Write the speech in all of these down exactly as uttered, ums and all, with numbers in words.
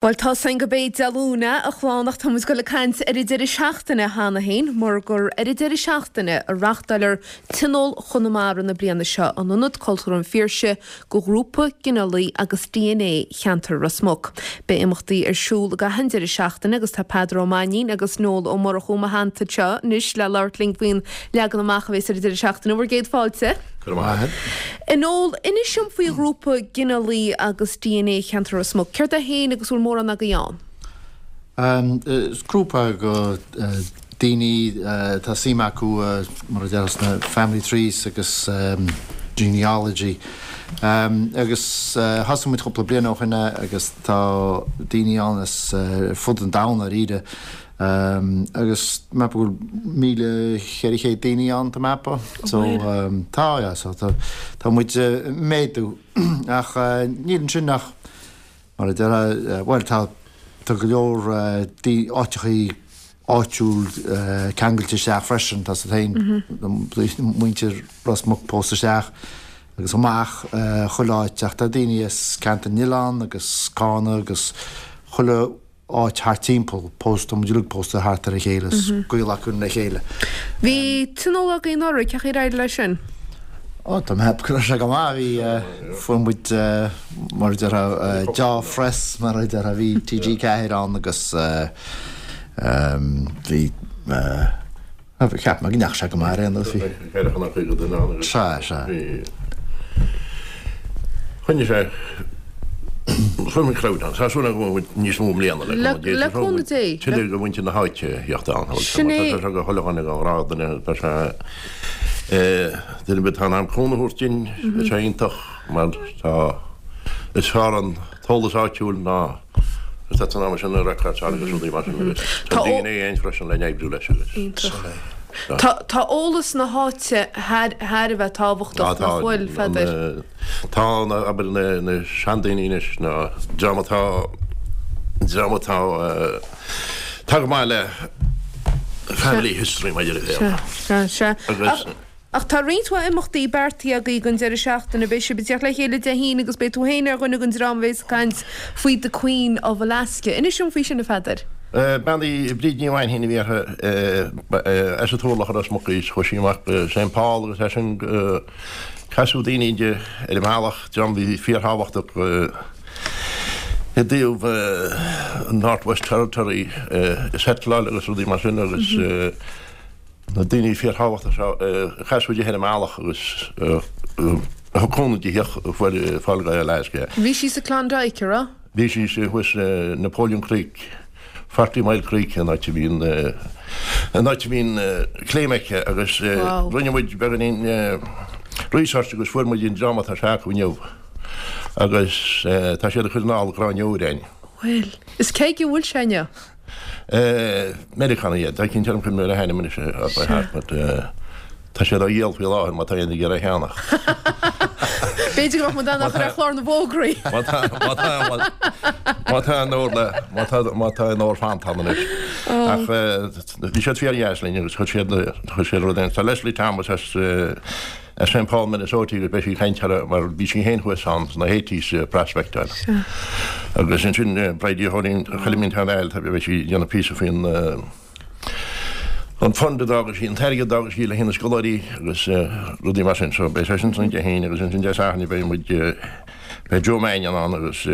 Bhuel tá san go bé Dé Luain a chlann ach tá muid ag dul ag caint ar an deireadh seachtaine cheana féin mar gur ar an deireadh seachtaine a reáchtáiltear Tionól Chonamara na bliana seo in Ionad Cultúrtha an Phiarsaigh do ghrúpa ginealaigh agus DNA cheantar Ros Muc. Beidh imeachtaí ar siúl gach an deireadh seachtaine agus tá Peadar Ó Mainnín agus Noel Ó Murchú i mo theannta anseo anois le labhairt linn faoin leagan amach a bheas ar an deireadh seachtaine bhur gcéad fáilte. A Noel, inis dom faoi ghrúpa ginealaigh agus DNA cheantar Ros Muc. Céard é féin agus bhfuil mórán agaibh ann? Um, is grúpa go uh, daoine uh, tá suim acu uh, mar a deir na family trees agus um, genealogy. Um, agus uh, thosaigh muid cúpla bliain ó shin agus tá daoine ann as uh, fud an domhain ar Um, agus mé bhfuil míle ceithre chéad daoine ann tá mapa so um, tá ja, so tá tá muid uh, méadú ach uh, níl sin ach mar a deir uh, well tá tá go leor uh, áiteachaí áitiúil uh, ceangailte isteach freisin tá sa féin muintir Ros Muc pósta isteach agus amach uh, chuile áit ach tá daoine as Ceantar na nOileán agus Carna agus chuile áit thart timpeall pósta muid pósta thart ar a chéile gaol acu le chéile. Bhí tionól agaibh anuraidh cén chaoi ar éirigh leis sin? Ó Tá mé go sé go maith bhí fuair muid mar deir dea-phress mar a deir bhí TG Ceathair ann agus bhí cheap mé go ndeachaigh sé go maith aon bhí. Se se. Choinnigh sé Fuair muid crowd ann, tá súil go níos mó bliana Le cúnamh Dé. Tuilleadh go muintir na háite theacht ann. Sin é. Tá sé go chuile dhuine go grádanna tá sé duine tá am cúnamh a thabhairt dúinn sé iontach mar tá is fearr an t-eolas áitiúil ná is tá an sin na records agus rudaí mar sin agus tá Tá ó- DNA ein freisin le oibriú leis agus. Iontach. Tá tá eolas na háite thar thar a bheith tábhachtach nach bhfuil Pheadair. Tá na abair na na seandaoine anois na dream atá dream atá tá go maith le family history maidir le Se se se. Agus- Ach- Ach tá roinnt mhaith imeachtaí beartaithe agaibh don deireadh seachtaine beidh sibh ag teacht le chéile Dé hAoine agus beidh tú féin ar dhuine den dream a bheas ag caint faoi the Queen of Alaska. Inis dom faoi sin a Pheadair. Bean í Bríd Ní Mhainnín a bhí as an Turlach Ros Muc í chuaigh sí amach St Paul agus é sin casadh daoine di ar an mbealach dream bhí fíorthábhachtach i dtaobh Northwest Territory settleáil agus rudaí mar sin agus na daoine fíorthábhachtach seo casadh di ar an mbealach agus thug cúnamh di fáil go Alaska. Bhí sí sa Klondike ra? Bhí sí sé thuas Napoleon Creek, Forty Mile Creek an áit a bhíonn an áit a bhíonn claim aici agus Wow. rinne muid beagáinín research agus fuair muid an dream atá s'acu inniu agus tá siad ag cur anall gráinneoir Well, is cé go bhfuil sé inniu? Meiriceánach iad, tá cinn chun mé le hainm anois by heart, but tá siad á dhíol faoi láthair má tá aon ag iarraidh cheannach. B'fhéidir go mbeadh muid ann ar chlár na bhfógraí. Má tá má tá má tá an ór le má tá má tá an ór fanta anois. Ach bhí siad fíordheas linn agus chuir siad chuir siad rud Tá Leslie Thomas as as St. Paul, Minnesota agus beidh sí ag caint mar bhí sí féin thuas ann sna eighties prospectáil. Agus ansin Bridie Chóilín Choilín Tan tá beidh sí déanamh píosa faoin an fund a d'fhág sí an t-airgead a d'fhág sí le haghaidh na scoláirí agus rudaí mar sin so beidh sé sin san Dé hAoine agus ansin Dé Sathairn beidh muid beidh Joe Mannion ann agus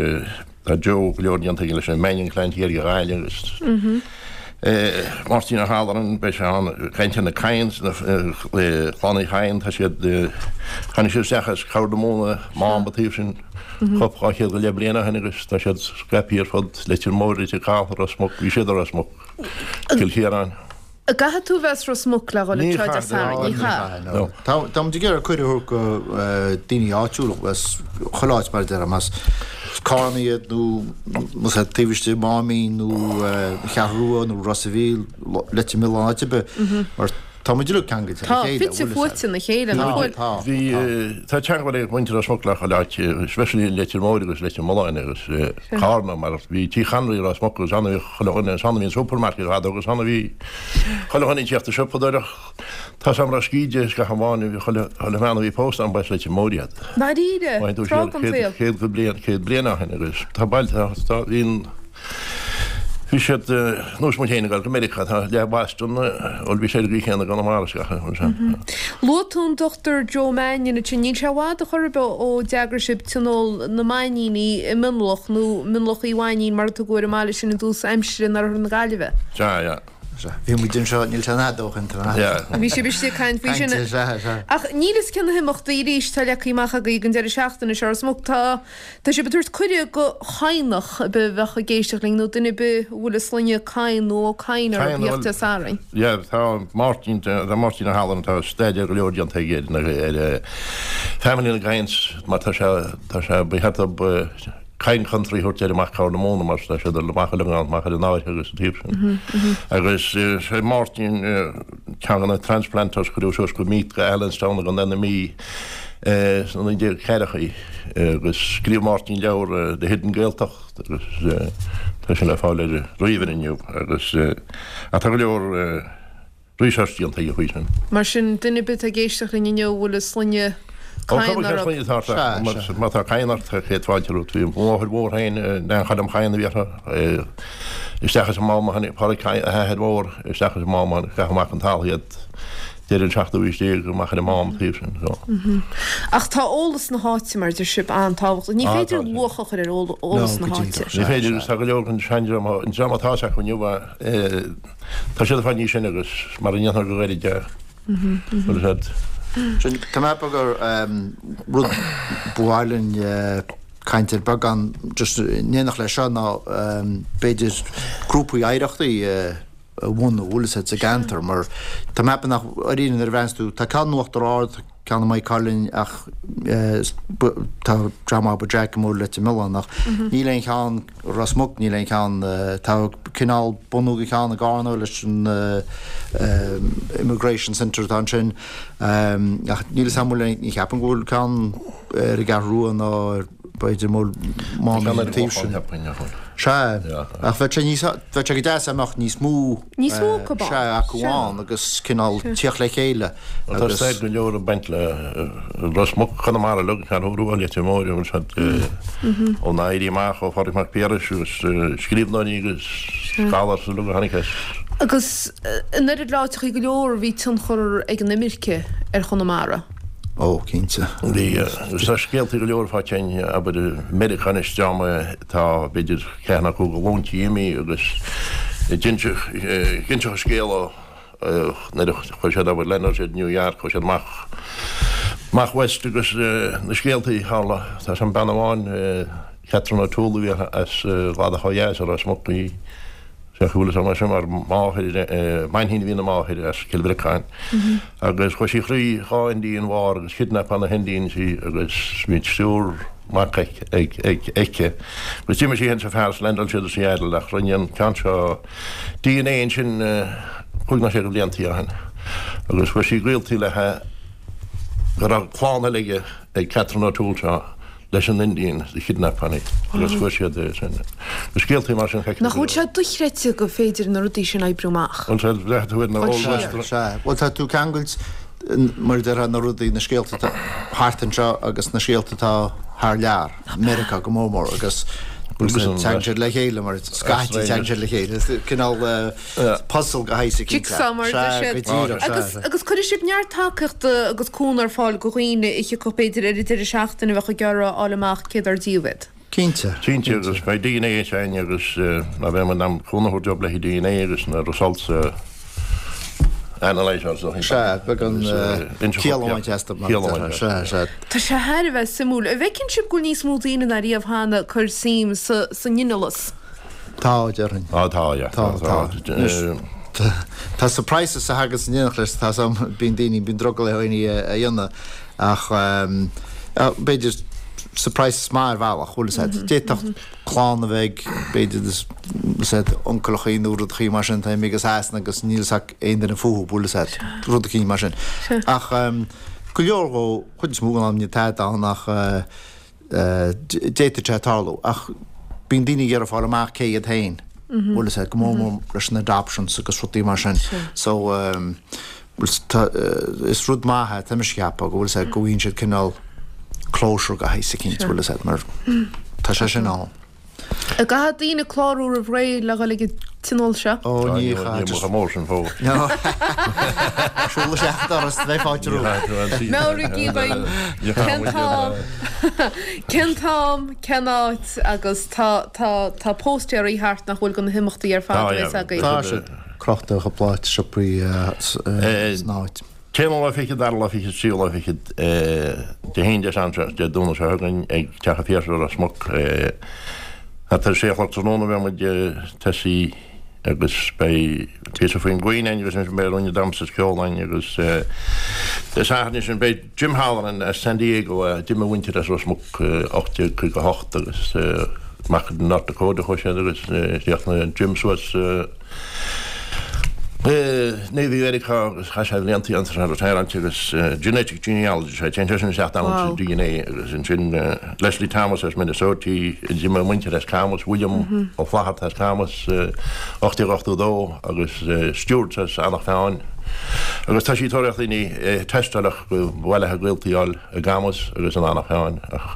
tá Joe go leor déanta aige leis an Mannion clan thiar go Gaillimh agus Máirtín Ó hAlloran beidh sé ann caint ar na Kynes na Clann Uí Chadhain tá siad tháinig siad isteach as Corr na Móna Mám an taobh sin cúpla dhá chéad go leith bliain ó shin agus tá siad scaipthe ar fud Leitir Móir Leitir Cath Ros Muc bhí siad ar Ros Muc Cill Chiaráin. Caithfidh tú bheith as Ros Muc le dhul Ní ag troid chaithfidh, Sathairn, ní chaithfidh. No. Tá tá muid ag iarraidh cuireadh go daoine áitiúla as chuile áit mar a deir más Carna iad nó más é taobh istigh Máimín nó Ceathrú Rua nó Ros a' Mhíl Leitir Mealláin áit ar bith mar tá muid uilig ceangailte le Tá chéile, fite bhfuil fuaite na chéile nach bhfuil? Tá, Bhí tá teagmháil ag muintir Ros Muc le chuile áit, especially Leitir Móir agus Leitir Mealláin agus Carna mar bhí Tigh Chonraí Ros Muc agus ann a bhí chuile dhuine ann a bhí an supermarket fadó agus ann a bhí chuile dhuine ag teacht ag siopadóireacht. Tá sam ra scíde is gach amháin bhí chuile chuile bhean a bhí pósta ann ba as Leitir Móir iad. Dáiríre, Bhain tú tráth den siar saol. céad céad bliain céad bliain ó shin agus tá bailte tá bhíonn Bhí siad nós muid féin ag dul go Meiriceá, tá leath Boston, bhuel bhí sé ar an gcaoi chéanna i gConamara is gach aon rud. Luaigh tú an Dochtúir Joe Mannion ansin, níl sé i bhfad a chor ar bith ó d'eagraigh sibh Tionól na Mainníní i Mionlach, nó Mionlach Uí Mhainnín mar a tugadh air an mbaile sin i dtús aimsire in oirthear na Gaillimhe. Sea, yeah. Sea, bhí muid anseo, níl sé an fhada ó shin, tá. Yeah. Bhí sibh istigh ag caint faoi sin. Caint, sea, sea. Ach níl fhios cé na himeachtaí arís atá leagtha amach agaibh don deireadh seachtaine seo, Ros Muc. Tá Tá sibh ag tabhairt cuireadh go Chadhnach ar bith a bheadh ag éisteacht linn nó duine ar bith a bhfuil a sloinne Cadhain nó Ó Cadhain orthu Cadhain, theacht Dé Sathairn. Yeah, tá Máirtín, tá Máirtín Ó hAllan, tá staidéar go leor déanta aige ar na, ar family na gCadhains mar tá sé, tá sé, ba cheart dóibh Cadhain Country a thabhairt air amach Corr na Móna mar tá sé ag dul amach uilig ann, amach ar an Fháirche agus an taobh sin. Agus sé Máirtín ceann de na transplanters a cuireadh suas go Meath go Allenstown i gContae na Mí sna naoi déag ceathrachaí agus scríobh Máirtín leabhar The Hidden Gaeltacht agus tá sé le fáil ar ríomhaire inniu agus ach tá go leor research déanta aige faoi sin. Mar sin, duine ar bith atá ag éisteacht linn inniu a bhfuil a sloinne Ó Cadhain cuma cén orthu. sloinne atá ort Sea, ach sea. má tá Cadhain ort céad fáilte romhat. Bhí mo mháthair mhór féin, Neain Choilm Chadhain a bhí uirthi, isteach as an Mám a tháinig Pádraig Cadhain, a hathair mhór, isteach as an Mám a tháinig, caitheadh amach an talamh iad deireadh an seachtú haois déag amach ar an Mám an taobh sin. So. Ach tá eolas na háite, mar a deir sibh, an-tábhachtach. Ní Ah, féidir tá sé. luach a chur ar eolas No, na go háite. díreach. Ní Sea, féidir sea. agus tá go leor den seandream, an dream atá acu inniu, eh, tá siad ag fáil níos sine agus mar a ndéantar go gairid é. Bhfuil a fhios agat? Sin, tá mé ag ceapadh gur rud ba mhaith linn caint air beagán just in éineacht leis seo ná b'fhéidir grúpaí oidhreachtaí a bhunú, bhfuil a fhios agat, sa gceantar mar tá mé ag ceapadh nach, dáiríre nuair a bhreathnaíonns tú, tá ceann in Uachtar Ard, tá ceann i Maigh Cuilinn ach tá dream abair Jack i mBaile Leitir Mealláin ach níl aon cheann Ros Muc, níl aon cheann, tá cineál bunú de cheann i gCarna leis an Immigration Centre atá ansin ach níl 'fhios a'm bhfuil aon, ní cheapaim go bhfuil ceann ar an gCeathrú Rua ná ar b'fhéidir mol Mám an taobh sin. Sea, ach bheadh sé níos, bheadh sé go deas dá mbeadh níos mó, Níos mó acu ann. sea, acu ann agus cineál tíocht le chéile Tá agus. stair go leor ag baint le Ros Muc, Conamara uilig, Ceathrú Rua, Leitir Móir, bhfuil siad ón Éirí Amach, ó Phádraig Mac Piarais agus scríbhneoirí agus scholars uilig a tháinig as. Agus in oiread le áiteachaí go leor bhí tionchar ag an imirce ar Chonamara. Ó, cinnte. Bhí, agus tá scéaltaí go leor faighte againn, abair, i Meiriceá anois, dream atá, b'fhéidir, ceathair nó cúig ghlúintí imithe agus d'inseodh, d'inseodh an scéal ó nuair a chuaigh siad, abair, leandáil siad i New York, chuaigh siad amach, amach west agus na scéaltaí a tharla. Tá 'fhios a'm bean amháin, Catherine O'Toole a bhí uirthi, as Cladach ó dheas, i Ros Muc í. Sea, chuala sé mar sin mar máthair, Mainchín a bhí ina máthair as Cill Bhriocáin agus chuaigh sí thrí dhá Indian War agus kidnapáladh na hIndians í agus bhí triúr mac aici agus d'imigh sí féin is a fear is leaindeáil siad i Seattle ach rinne an ceann seo D N A ansin cúig nó sé de bhliantaí ó shin agus fuair sí gaoltaí le go raibh clann eile aige ag Catherine O'Toole seo leis an Indian a kidnapáladh í agus fuair siad é sin. Na scéaltaí mar sin feicthe Nach bhfuil sé dochreidte go féidir na rudaí sin oibriú amach? Bhuel sea, bhreathnaigh tú ar na Bhuel Old sea. Western. Sea, bhuel tá tú ceangailt mar a déarfá na rudaí, na scéalta atá thart anseo agus na scéalta atá thar lear, Meiriceá go mór mór agus Agus an tagann siad le chéile mar scaití tagann siad le chéile. Cineál puzzle de shaghas eicínt. Jigsaw mar a deir Sea, siad. go díreach, sea, Agus sea. agus cuirfidh sibh neart tacaíochta agus cúnamh ar fáil do dhaoine a thiocfadh b'fhéidir ar an deireadh seachtaine a bheadh ag iarraidh a fháil amach cé dár díobh iad. Cinnte. Cinnte, agus beidh D N A againn agus ná beidh muid in ann cúnamh a thabhairt dóibh le D N A agus na results a analyse or something. Sea, beagán Agus, ciall amháin teasta mar Ciall amháin Sea, sea. Tá sé thar a bheith suimiúil. An bhfeiceann sibh go bhfuil níos mó daoine ná riamh cheana ag cur suim sa sa nginealas? Tá, déarfainn. Á, tá, yeah. Tá, tá. Eh, Tá surprises a thagann in éineacht leis, tá sam, bíonn daoine, bíonn drogall ar dhaoine a a dhéanamh ach b'fhéidir surprises maith ar bhealach, bhfuil 'fhios a'd. D'fhéadfadh clann a bheith ag, b'fhéidir, 'fhios a'd, uncaileachaí nó rudachaí mar sin atá imithe go Sasana agus níl 'fhios ag aon duine fúthu, bhfuil 'fhios a'd, rud eicínt mar sin. Ach go leor dhó, chuid is mó den am níl tada ann ach d'fhéadfadh sé tarlú. Ach bíonn daoine ag iarraidh fáil amach cé iad féin, bhfuil 'fhios a'd, go mór mór leis na adoptions agus rudaí mar sin. So, Bhuel, is rud maith é, tá mise ag ceapadh, go bhfuil 'fhios a'd, go bhfaigheann siad cineál closure de shaghas eicínt, bhfuil 'fhios a'd, mar tá sé sin ann. An gcaithfidh daoine clárú roimh ré le dhul ag an tionól seo? Ó ní chaithfidh. mór sin fó. Siúl isteach an doras, beidh fáilte romhat. Meabhraígí dúinn cén t-am cén t-am cén áit agus tá tá tá póstaerí thart nach bhfuil de na himeachtaí ar fad Tá, a bheas yeah. agaibh. Tá siad crochta cúpla áit siopaí san áit. T-aon lá fichead dara lá fichead tríú lá fichead Dé hAoine Dé Sathairn Dé Domhnaigh seo chugainn ag Teach an Phiarsaigh Ros Muc thart ar a sé a chlog tráthnóna beidh muid tosaí agus beidh píosa faoin gcuimhne againn agus ansin beidh ruainne damhsa is ceol againn agus Dé Sathairn sin beidh Jim Halloran as San Diego a d'imigh a mhuintir as Ros Muc ocht déag caoga a hocht agus amach go North Dakota chuaigh siad agus chríochnaigh Jim suas Navy Mheiriceá agus chaith sé blianta ann sa retirement agus genetic genealogy sé téann sé sin isteach down to DNA agus ansin Leslie Thomas as Minnesota d'imigh a muintir as Camus William Ó Flatharta as Camus ocht déag ochtó dó agus Stuart as Eanach Mheáin agus tá sí ag tóraíocht daoine tástáil ach go mhaith léi a gaolta a fháil i gCamus agus in Eanach Mheáin ach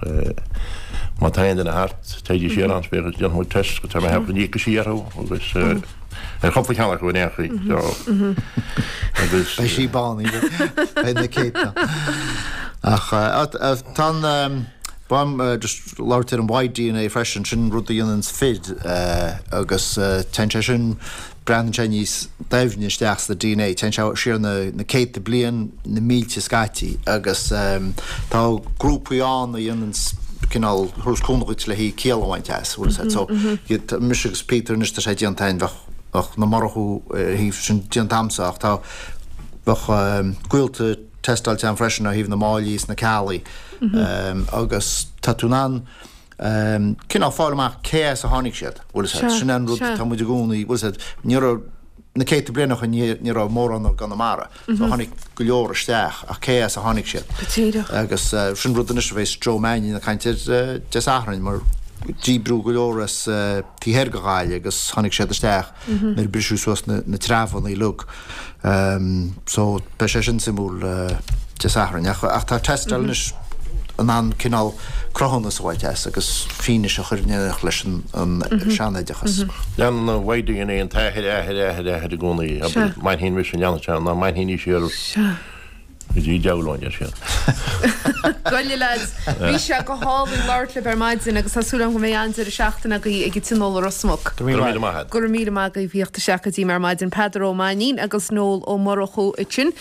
má tá aon duine thart téigí siar ann spéir agus déanfaidh muid test go tá mé ag ceapadh go n-íocfaidh sí orthu agus ar chúpla ceann acu in aon chaoi so agus Beidh sí bán beidh na céadta. Ach tá an bam just labhairt ar an Y DNA freisin sin rud a dhéanann fir agus téann sé sin breathnaíonn sé níos doimhne isteach sa DNA, téann sé siar na, na céadta bliain na mílte scaití agus tá grúpaí ann a dhéanann cineál thuras cúnamh le hí ciall a bhaint as, bhfuil a fhios agat. So mise agus Peter anois tá sé déanta againn bheadh bheadh na Murchú thaobh sin déanta agamsa ach tá bheadh gaolta tástáilte ann freisin ó thaobh na Máillí is na Ceallaigh agus tá tú in ann cineál fáil amach cé as a tháinig siad, bhfuil a fhios agat. Sin an rud tá muid i gcónaí, bhfuil a fhios agat, ní raibh na céadta bliain ó shin ní raibh mórán i gConamara, so tháinig go leor isteach ach cé as a tháinig siad. Go díreach. Agus sin rud anois a bheas Joe Mannion ag caint air Dé Sathairn mar díbríodh go leor as taobh thoir de Ghaillimh agus tháinig siad isteach nuair a briseadh suas na, na treabhanna uilig. Um, so beidh sé sin suimiúil Dé Sathairn ach, ach tá tástáil anois in ann cineál cruthúnas a bhaint as agus fianaise a chur in éineacht leis an, an seanoideachas. Leanann an Y DNA an t-athair athair athair athair i gcónaí Sea. Mainchín mise leanann sé ná mainchín í siar Sea. go dtí deabhlóin ar siad. Goile lads, bhí sé go hálainn labhairt libh ar maidin agus tá súil agam go mbeidh an-deireadh seachtaine agaibh ag an tionól i Ros Muc. Go raibh míle maith agat. Go raibh míle maith agaibh theacht isteach go dtí mé ar maidin Peadar Ó Mainnín agus Noel Ó Murchú ansin.